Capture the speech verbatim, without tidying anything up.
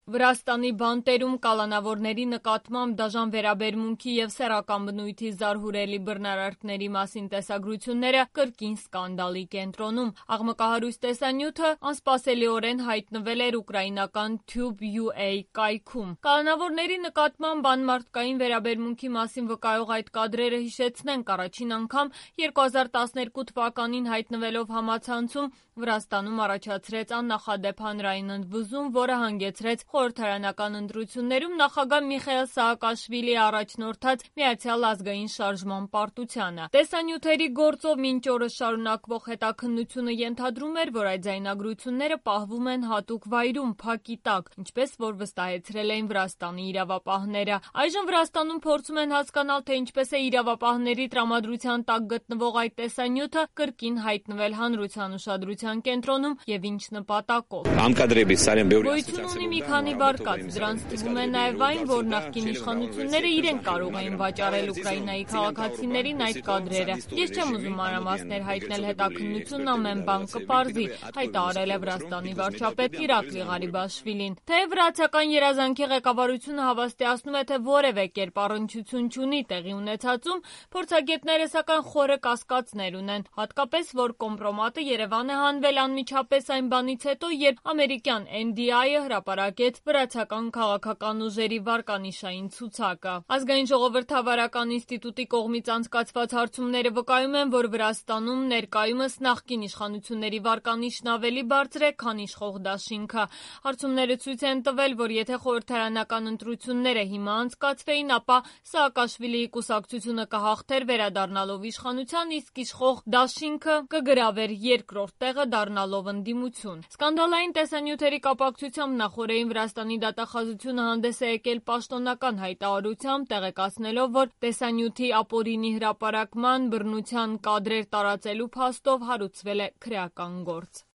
Վրաստանի բանտերում կալանավորների նկատմամբ դաժան վերաբերմունքի և սեռական բնույթի զարհուրելի բռնարարքների մասին տեսագրությունները կրկին սկանդալի կենտրոնում։ Աղմկահարույց տեսանյութը անսպասելիորեն հայտնվել էր ուկրաինական Tube.ua կայքում։ Կալանավորների նկատմամբ անմարդկային վերաբերմունքի մասին վկայող այդ կադրերը հիշեցնենք առաջին անգամ երկու հազար տասներկու թվականին հայտնվելով համացանցում Վրաստանում առաջացրեց աննախադեպ հանրային ընդվզում, որը հանգեցրեց խորհրդարանական ընտրություններում նախագահ Միխայիլ Սաակաշվիլիի առաջնորդած Միացյալ ազգային շարժման պարտությանը։ Տեսանյութերի գործով մինչ օրս շարունակվող հետաքննությունը ենթադրում էր, որ այդ ձայնագրությունները պահվում են հատուկ վայրում, փակի տակ, ինչպես որ վստահեցրել էին Վրաստանի իրավապահները։ Այժմ Վրաստանում փորձում են հասկանալ, թե ինչպես է իրավապահների տրամադրության տակ գտնվող այդ տեսանյութը կրկին հայտնվել հանրության ուշադրության կենտրոնում և ինչ նպատակով։ Գոյություն ունի մի քանի վարկած, դրանց թվում է նաև այն, որ նախկին իշխանությունները իրենք կարող էին վաճառել Ուկրաինայի քաղաքացիներին այդ կադրերը։ Ես չեմ ուզում մանրամասներ հայտնել, հետաքննությունն ամեն բան կպարզի, հայտարարել է Վրաստանի վարչապետ Իրակլի Ղարիբաշվիլին։ Թեև վրացական երազանքի ղեկավարությունը հավաստիացնում է, թե որևէ կերպ առնչություն չունի տեղի ունեցածում, փորձագետները սակայն խորը կասկածներ ունեն, հատկապես որ կոմպրոմատը Երևան է հանվել անմիջապես այն բանից հետո, երբ ամերիկյան N D I-ը հրապարակեց վրացական քաղաքական ուժերի վարկանիշային ցուցակը։ Ազգային ժողովրդավարական ինստիտուտի կողմից անցկացված հարցումները վկայում են, որ Վրաստանում ներկայումս նախկին իշխանությունների վարկանիշն ավելի բարձր է, քան իշխող դաշինքը։ Հարցումները ցույց են տվել, որ եթե խորհրդարանական ընտրությունները հիմա անցկացվեին, ապա Սաակաշվիլիի կուսակցությունը կհաղթեր վերադառնալով իշխանության, իսկ իշխող դաշինքը կգրավեր երկրորդ տեղը դառնալով ընդդիմություն։ Սկանդալային տեսանյութերի կապակցությամբ նախօրեին Վրաստանի դատախազությունը հանդես է եկել պաշտոնական հայտարարությամբ, տեղեկացնելով, որ տեսանյութի ապօրինի հրապարակման, բռնության կադրեր տարածելու փաստով հարուցվել է քրեական գործ։